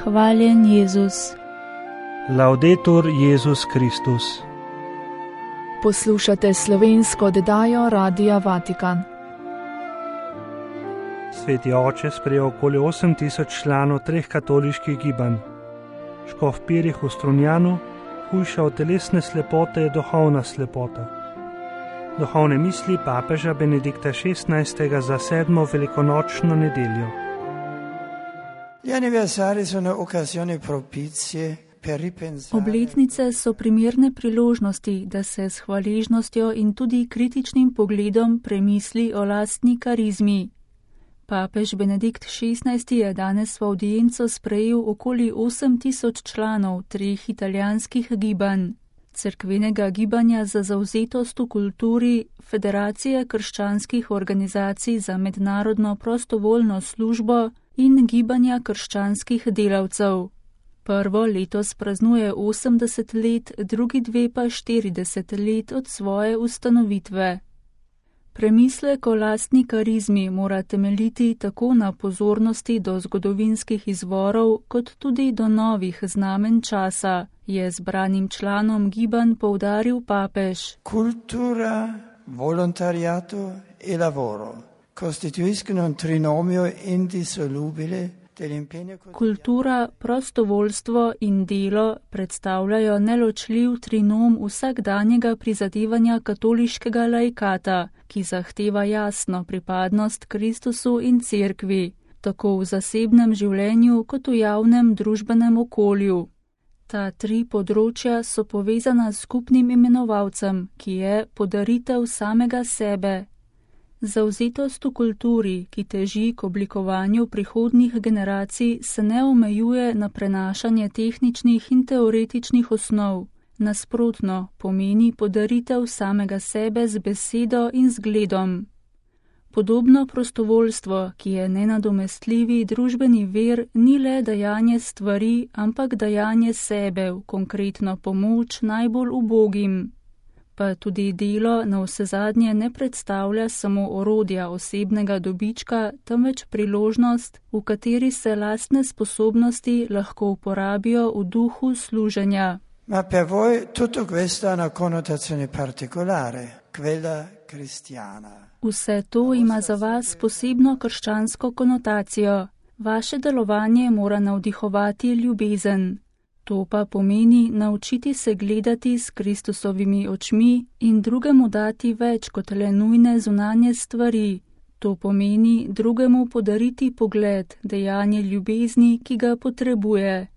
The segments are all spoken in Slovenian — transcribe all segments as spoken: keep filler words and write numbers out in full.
Hvaljen Jezus. Laudetur Jezus Kristus. Poslušate slovensko oddajo Radia Vatikan. Sveti oče sprejel okoli osem tisoč članov treh katoliških gibanj. Škof Pirih v Strunjanu, hujša od telesne slepote je duhovna slepota. Duhovne misli papeža Benedikta šestnajstega za sedmo velikonočno nedeljo. Obletnice so primerne priložnosti, da se s hvaležnostjo in tudi kritičnim pogledom premisli o lastni karizmi. Papež Benedikt šestnajsti je danes v avdienco sprejel okoli osem tisoč članov treh italijanskih gibanj: Cerkvenega gibanja za zavzetost v kulturi, Federacije krščanskih organizacij za mednarodno prostovoljno službo in Gibanja krščanskih delavcev. Prvo letos praznuje osemdeset let, drugi dve pa štirideset let od svoje ustanovitve. Premislek o lastni karizmi mora temeljiti tako na pozornosti do zgodovinskih izvorov, kot tudi do novih znamenj časa, je zbranim članom gibanj poudaril papež. Kultura, volontariato e lavoro costituiscono un trinomio indissolubile. Kultura, prostovoljstvo in delo predstavljajo neločljiv trinom vsakdanjega prizadevanja katoliškega laikata, ki zahteva jasno pripadnost Kristusu in Cerkvi, tako v zasebnem življenju kot v javnem družbenem okolju. Ta tri področja so povezana s skupnim imenovalcem, ki je podaritev samega sebe. Zavzetost v kulturi, ki teži k oblikovanju prihodnjih generacij, se ne omejuje na prenašanje tehničnih in teoretičnih osnov. Nasprotno, pomeni podaritev samega sebe z besedo in zgledom. Podobno prostovoljstvo, ki je nenadomestljivi družbeni vir, ni le dajanje stvari, ampak dajanje sebe v konkretno pomoč najbolj ubogim. Pa tudi delo navsezadnje ne predstavlja samo orodja osebnega dobička, temveč priložnost, v kateri se lastne sposobnosti lahko uporabijo v duhu služenja. Ma per voi tutto questo ha una connotazione particolare, quella cristiana. Vse to ima za vas posebno krščansko konotacijo. Vaše delovanje mora navdihovati ljubezen. To pa pomeni naučiti se gledati s Kristusovimi očmi in drugemu dati več kot le nujne zunanje stvari. To pomeni drugemu podariti pogled, dejanje ljubezni, ki ga potrebuje.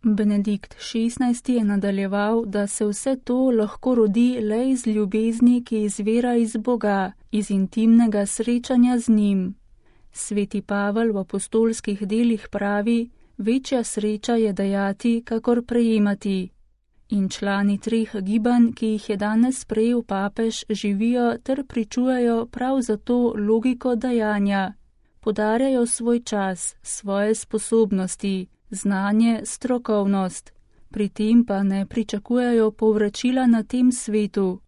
Benedikt šestnajsti je nadaljeval, da se vse to lahko rodi le iz ljubezni, ki izvira iz Boga, iz intimnega srečanja z njim. Sveti Pavel v apostolskih delih pravi: večja sreča je dajati, kakor prejemati. In člani treh gibanj, ki jih je danes sprejel papež, živijo ter pričujejo prav zato logiko dajanja. Podarjajo svoj čas, svoje sposobnosti, znanje, strokovnost. Pri tem pa ne pričakujejo povračila na tem svetu.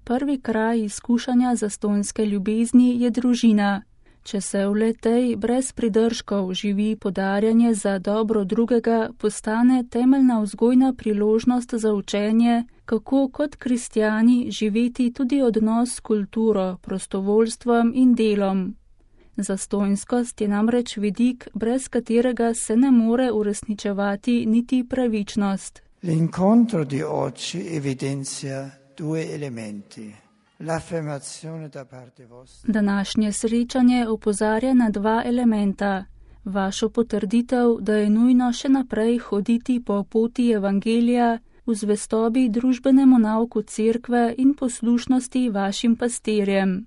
Prvi kraj izkušanja zastonjske ljubezni je družina. Če se v le-tej brez pridržkov živi podarjanje za dobro drugega, postane temeljna vzgojna priložnost za učenje, kako kot kristjani živeti tudi odnos s kulturo, prostovoljstvom in delom. Zastonjskost je namreč vidik, brez katerega se ne more uresničevati niti pravičnost. L'incontro di oggi evidenzia due elementi. Današnje srečanje opozarja na dva elementa. Vašo potrditev, da je nujno še naprej hoditi po poti evangelija, v zvestobi družbenemu nauku cerkve in poslušnosti vašim pastirjem.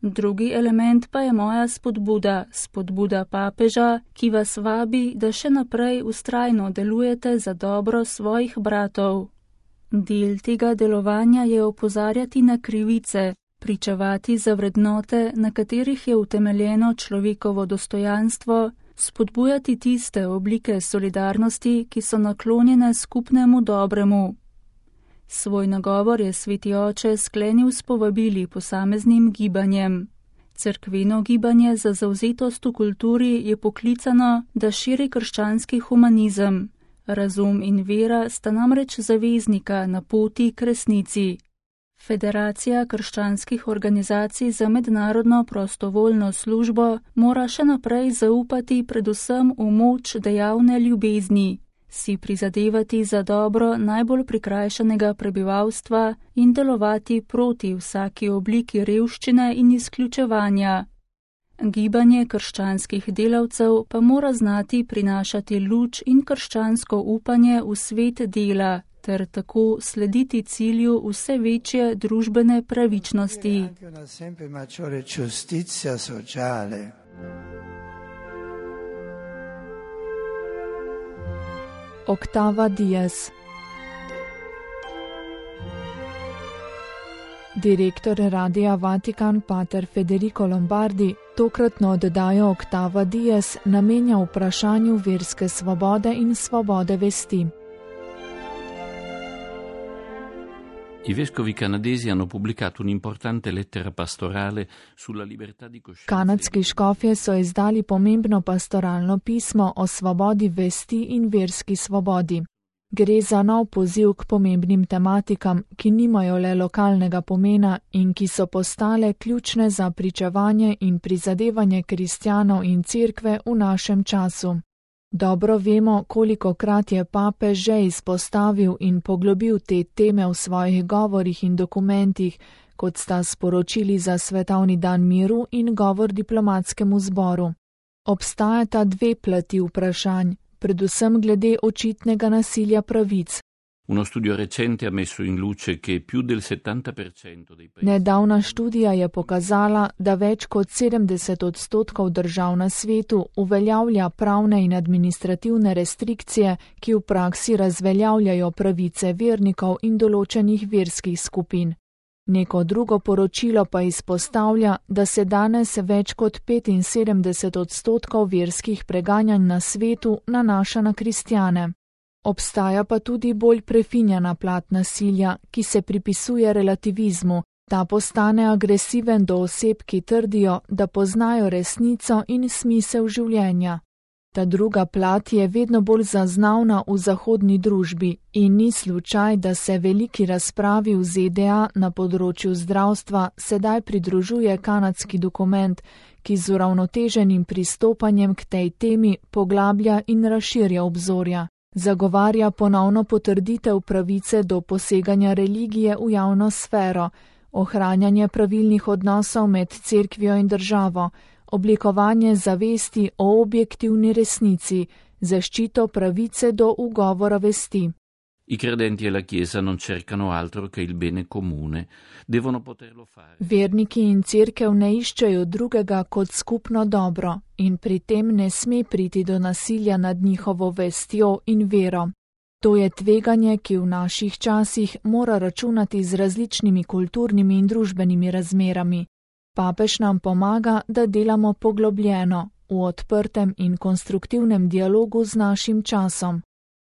Drugi element pa je moja spodbuda, spodbuda papeža, ki vas vabi, da še naprej vztrajno delujete za dobro svojih bratov. Del tega delovanja je opozarjati na krivice, pričevati za vrednote, na katerih je utemeljeno človekovo dostojanstvo, spodbujati tiste oblike solidarnosti, ki so naklonjene skupnemu dobremu. Svoj nagovor je sveti oče sklenil s povabili posameznim gibanjem. Cerkveno gibanje za zavzetost v kulturi je poklicano, da širi krščanski humanizem. Razum in vera sta namreč zaveznika na poti k resnici. Federacija krščanskih organizacij za mednarodno prostovoljno službo mora še naprej zaupati predvsem v moč dejavne ljubezni, si prizadevati za dobro najbolj prikrajšanega prebivalstva in delovati proti vsaki obliki revščine in izključevanja. Gibanje krščanskih delavcev pa mora znati prinašati luč in krščansko upanje v svet dela, ter tako slediti cilju vse večje družbene pravičnosti. Octava Dies. Direktor Radia Vatikan pater Federico Lombardi tokratno oddajo Octava Dies namenja vprašanju verske svobode in svobode vesti. I vescovi canadesi hanno pubblicato un'importante lettera pastorale sulla libertà di coscienza. Kanadski škofje so izdali pomembno pastoralno pismo o svobodi vesti in verski svobodi. Gre za nov poziv k pomembnim tematikam, ki nimajo le lokalnega pomena in ki so postale ključne za pričevanje in prizadevanje kristjanov in cerkve v našem času. Dobro vemo, kolikokrat je papež že izpostavil in poglobil te teme v svojih govorih in dokumentih, kot sta sporočili za Svetovni dan miru in govor diplomatskemu zboru. Obstajata dve plati vprašanj, predvsem glede očitnega nasilja pravic. Uno studio recente ha messo in luce che più del settanta per cento dei paesi. Nedavna študija je pokazala, da več kot sedemdeset odstotkov držav na svetu uveljavlja pravne in administrativne restrikcije, ki v praksi razveljavljajo pravice vernikov in določenih verskih skupin. Neko drugo poročilo pa izpostavlja, da se danes več kot petinsedemdeset odstotkov verskih preganjanj na svetu nanaša na kristjane. Obstaja pa tudi bolj prefinjena plat nasilja, ki se pripisuje relativizmu. Ta postane agresiven do oseb, ki trdijo, da poznajo resnico in smisel življenja. Ta druga plat je vedno bolj zaznavna v zahodni družbi in ni slučaj, da se veliki razpravi v Z D A na področju zdravstva sedaj pridružuje kanadski dokument, ki z uravnoteženim pristopanjem k tej temi poglablja in razširja obzorja. Zagovarja ponovno potrditev pravice do poseganja religije v javno sfero, ohranjanje pravilnih odnosov med cerkvijo in državo, oblikovanje zavesti o objektivni resnici, zaščito pravice do ugovora vesti. I credenti e la Chiesa non cercano altro che il bene comune, devono poterlo fare. Verniki in cerkev ne iščejo drugega kot skupno dobro in pri tem ne sme priti do nasilja nad njihovo vestjo in vero. To je tveganje, ki v naših časih mora računati z različnimi kulturnimi in družbenimi razmerami. Papež nam pomaga, da delamo poglobljeno, v odprtem in konstruktivnem dialogu z našim časom.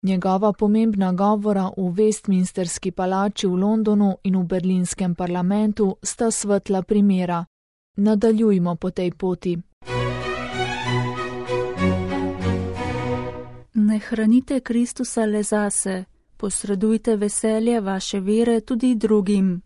Njegova pomembna govora v Westminsterski palači v Londonu in v berlinskem parlamentu sta svetla primera. Nadaljujmo po tej poti. Ne hranite Kristusa le zase, posredujte veselje vaše vere tudi drugim.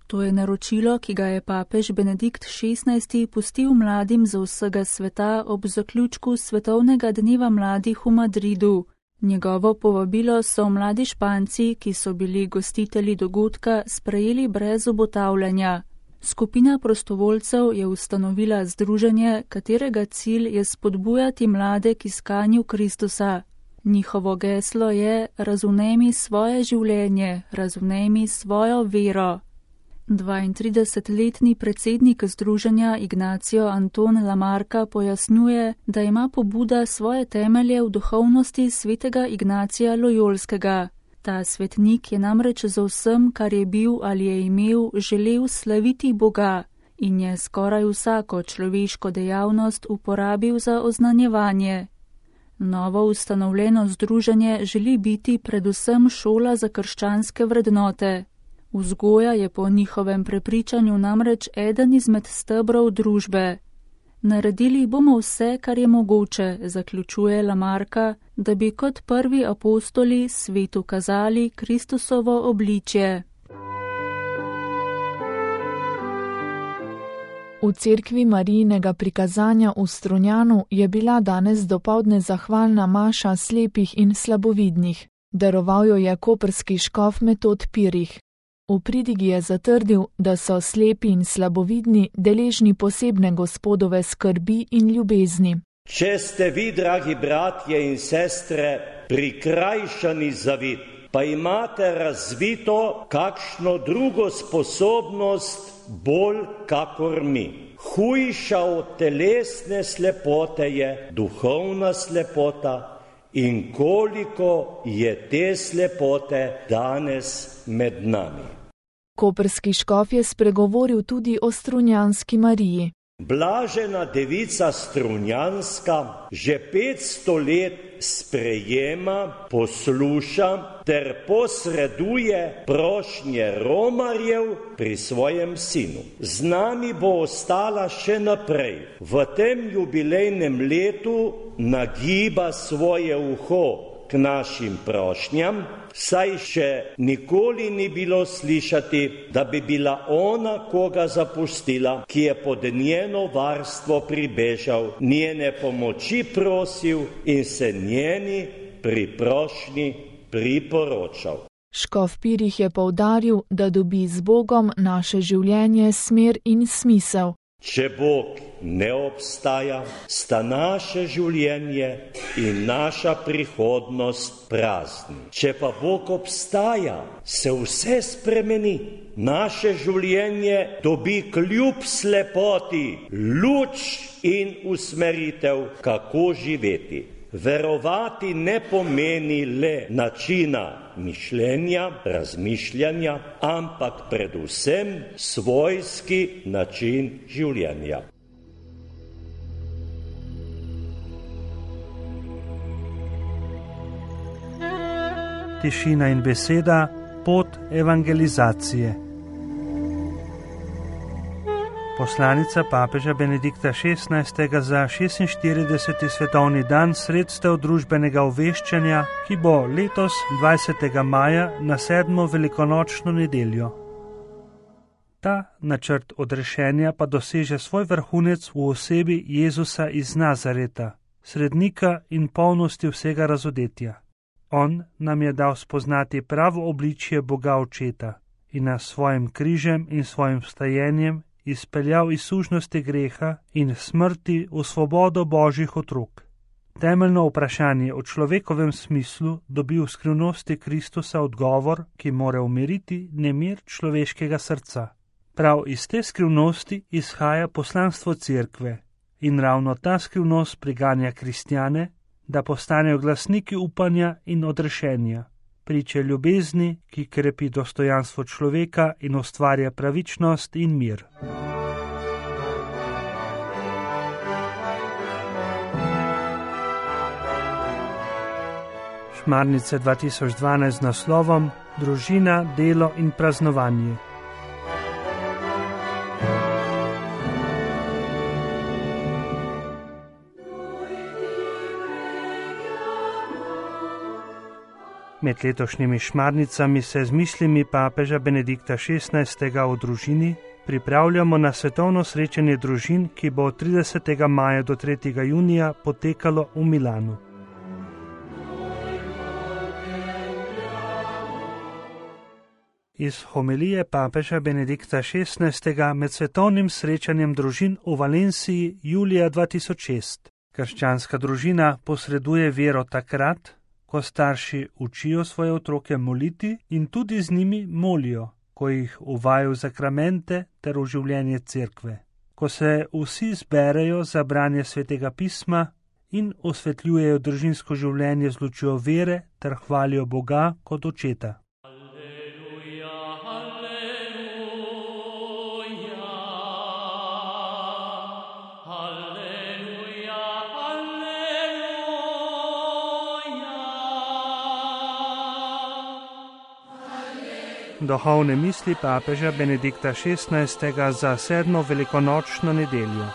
To je naročilo, ki ga je papež Benedikt šestnajsti pustil mladim za vsega sveta ob zaključku Svetovnega dneva mladih v Madridu. Njegovo povabilo so mladi Španci, ki so bili gostitelji dogodka, sprejeli brez obotavljanja. Skupina prostovoljcev je ustanovila združenje, katerega cilj je spodbujati mlade k iskanju Kristusa. Njihovo geslo je: razumemi svoje življenje, razumemi svojo vero. dvaintridesetletni predsednik združenja Ignacio Anton Lamarca pojasnjuje, da ima pobuda svoje temelje v duhovnosti svetega Ignacija Lojolskega. Ta svetnik je namreč za vsem, kar je bil ali je imel, želel slaviti Boga in je skoraj vsako človeško dejavnost uporabil za oznanjevanje. Novo ustanovljeno združenje želi biti predvsem šola za krščanske vrednote. Vzgoja je po njihovem prepričanju namreč eden izmed stebrov družbe. Naredili bomo vse, kar je mogoče, zaključuje Lamarka, da bi kot prvi apostoli svetu kazali Kristusovo obličje. V cerkvi Marijinega prikazanja v Strunjanu je bila danes dopoldne zahvalna maša slepih in slabovidnih. Daroval jo je koprski škof Metod Pirih. V pridigi je zatrdil, da so slepi in slabovidni deležni posebne Gospodove skrbi in ljubezni. Če ste vi, dragi bratje in sestre, prikrajšani za vid, pa imate razvito kakšno drugo sposobnost bolj kakor mi. Hujša od telesne slepote je duhovna slepota in koliko je te slepote danes med nami. Koprski škof je spregovoril tudi o strunjanski Mariji. Blažena devica Strunjanska že petsto let sprejema, posluša ter posreduje prošnje romarjev pri svojem sinu. Z nami bo ostala še naprej. V tem jubilejnem letu nagiba svoje uho k našim prošnjam, saj še nikoli ni bilo slišati, da bi bila ona koga zapustila, ki je pod njeno varstvo pribežal, njene pomoči prosil in se njeni pri prošnji priporočal. Škof Pirih je poudaril, da dobi z Bogom naše življenje smer in smisel. Če Bog ne obstaja, sta naše življenje in naša prihodnost prazni. Če pa Bog obstaja, se vse spremeni. Naše življenje dobi kljub slepoti luč in usmeritev, kako živeti. Verovati ne pomeni le načina mišljenja, razmišljanja, ampak predvsem svojski način življenja. Tišina in beseda, pot evangelizacije. Poslanica papeža Benedikta šestnajstega za šestinštirideseti svetovni dan sredstev družbenega obveščanja, ki bo letos dvajsetega maja na sedmo velikonočno nedeljo. Ta načrt odrešenja pa doseže svoj vrhunec v osebi Jezusa iz Nazareta, srednika in polnosti vsega razodetja. On nam je dal spoznati pravo obličje Boga Očeta in nas svojim križem in svojim vstajenjem izpeljal iz sužnosti greha in smrti v svobodo Božjih otrok. Temeljno vprašanje o človekovem smislu dobi v skrivnosti Kristusa odgovor, ki mora umiriti nemir človeškega srca. Prav iz te skrivnosti izhaja poslanstvo cerkve in ravno ta skrivnost priganja kristjane, da postanejo glasniki upanja in odrešenja, priče ljubezni, ki krepi dostojanstvo človeka in ustvarja pravičnost in mir. Šmarnice dva tisoč dvanajst z naslovom Družina, delo in praznovanje. Med letošnjimi šmarnicami se z mislimi papeža Benedikta šestnajstega o družini pripravljamo na svetovno srečanje družin, ki bo od tridesetega maja do tretjega junija potekalo v Milanu. Iz homilije papeža Benedikta šestnajstega med svetovnim srečanjem družin v Valenciji julija dva tisoč šest. Krščanska družina posreduje vero takrat, ko starši učijo svoje otroke moliti in tudi z njimi molijo, ko jih uvajajo v zakramente ter v življenje cerkve, ko se vsi zberejo za branje svetega pisma in osvetljujejo družinsko življenje z lučjo vere ter hvalijo Boga kot Očeta. Duhovne misli papeža Benedikta šestnajstega za sedmo velikonočno nedeljo.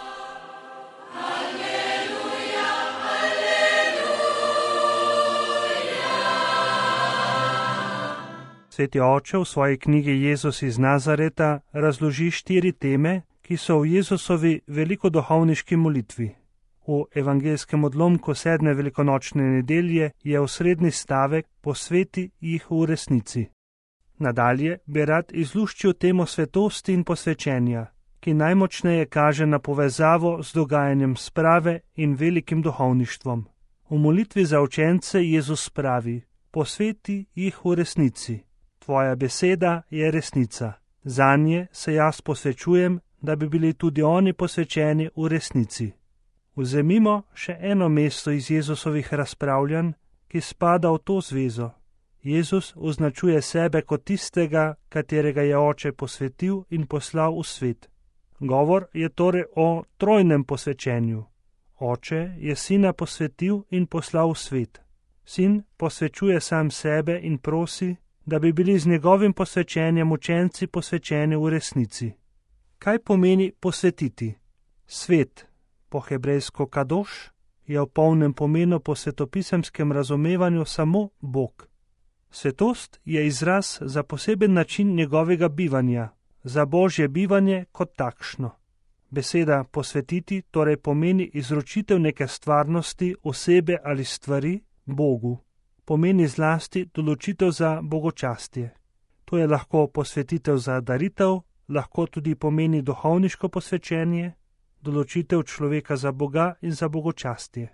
Sveti oče v svoji knjigi Jezus iz Nazareta razloži štiri teme, ki so v Jezusovi velikoduhovniški molitvi. V evangeljskem odlomku sedme velikonočne nedelje je osrednji stavek posveti jih v resnici. Nadalje bi rad izluščil temo svetosti in posvečenja, ki najmočneje kaže na povezavo z dogajanjem sprave in velikim duhovništvom. V molitvi za učence Jezus pravi: posveti jih v resnici. Tvoja beseda je resnica. Zanje se jaz posvečujem, da bi bili tudi oni posvečeni v resnici. Vzemimo še eno mesto iz Jezusovih razpravljanj, ki spada v to zvezo. Jezus označuje sebe kot tistega, katerega je oče posvetil in poslal v svet. Govor je torej o trojnem posvečenju. Oče je sina posvetil in poslal v svet. Sin posvečuje sam sebe in prosi, da bi bili z njegovim posvečenjem učenci posvečeni v resnici. Kaj pomeni posvetiti? Svet, po hebrejsko kadoš, je v polnem pomenu po svetopisemskem razumevanju samo Bog. Svetost je izraz za poseben način njegovega bivanja, za Božje bivanje kot takšno. Beseda posvetiti torej pomeni izročitev neke stvarnosti, osebe ali stvari Bogu. Pomeni zlasti določitev za bogočastje. To je lahko posvetitev za daritev, lahko tudi pomeni duhovniško posvečenje, določitev človeka za Boga in za bogočastje.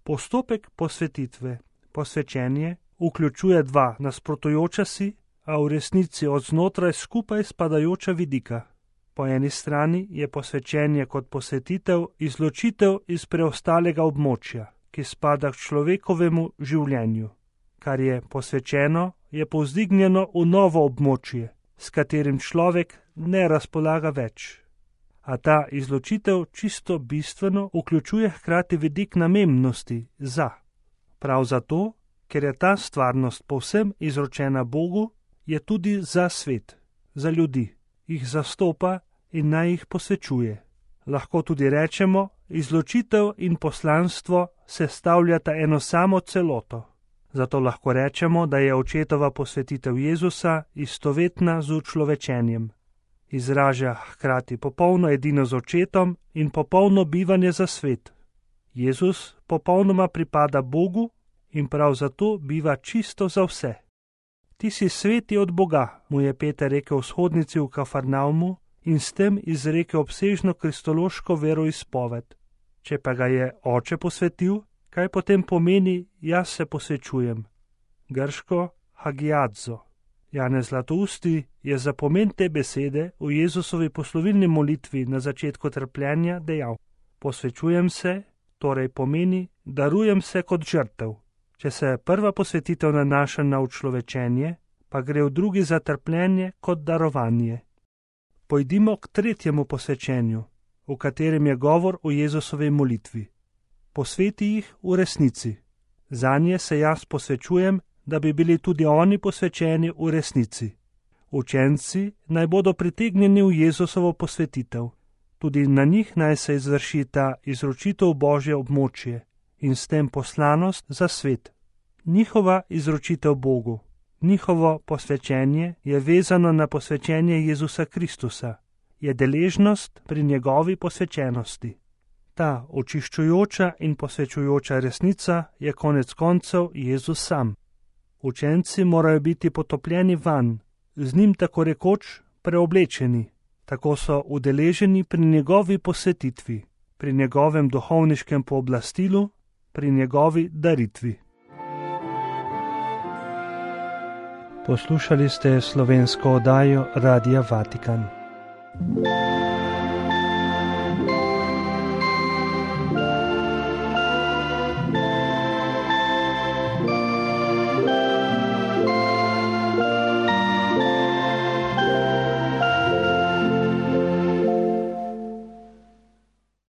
Postopek posvetitve, posvečenje, vključuje dva nasprotujoča si, a v resnici od znotraj skupaj spadajoča vidika. Po eni strani je posvečenje kot posvetitev izločitev iz preostalega območja, ki spada k človekovemu življenju. Kar je posvečeno, je povzdignjeno v novo območje, s katerim človek ne razpolaga več. A ta izločitev čisto bistveno vključuje hkrati vidik namembnosti za. Prav zato, ker je ta stvarnost povsem izročena Bogu, je tudi za svet, za ljudi, jih zastopa in naj jih posvečuje. Lahko tudi rečemo, izločitev in poslanstvo sestavljata eno samo celoto. Zato lahko rečemo, da je očetova posvetitev Jezusa istovetna z učlovečenjem. Izraža hkrati popolno edino z očetom in popolno bivanje za svet. Jezus popolnoma pripada Bogu in prav zato biva čisto za vse. Ti si sveti od Boga, mu je Peter rekel vzhodnici v Kafarnaumu in s tem izrekel obsežno kristološko veroizpoved. Če pa ga je oče posvetil, kaj potem pomeni jaz se posvečujem? Grško hagiadzo. Janez Zlatousti je za pomen te besede v Jezusovi poslovilni molitvi na začetku trpljenja dejal: posvečujem se, torej pomeni, darujem se kot žrtev. Če se prva posvetitev nanaša na učlovečenje, pa gre v drugi za trpljenje kot darovanje. Pojdimo k tretjemu posvečenju, v katerem je govor o Jezusovi molitvi. Posveti jih v resnici. Zanje se jaz posvečujem, da bi bili tudi oni posvečeni v resnici. Učenci naj bodo pritegnjeni v Jezusovo posvetitev. Tudi na njih naj se izvrši ta izročitev Božje območje in s tem poslanost za svet. Njihova izročitev Bogu, njihovo posvečenje je vezano na posvečenje Jezusa Kristusa, je deležnost pri njegovi posvečenosti. Ta očiščujoča in posvečujoča resnica je konec koncev Jezus sam. Učenci morajo biti potopljeni vanj, z njim tako rekoč preoblečeni, tako so udeleženi pri njegovi posvetitvi, pri njegovem duhovniškem pooblastilu, pri njegovi daritvi. Poslušali ste slovensko oddajo Radia Vatikan.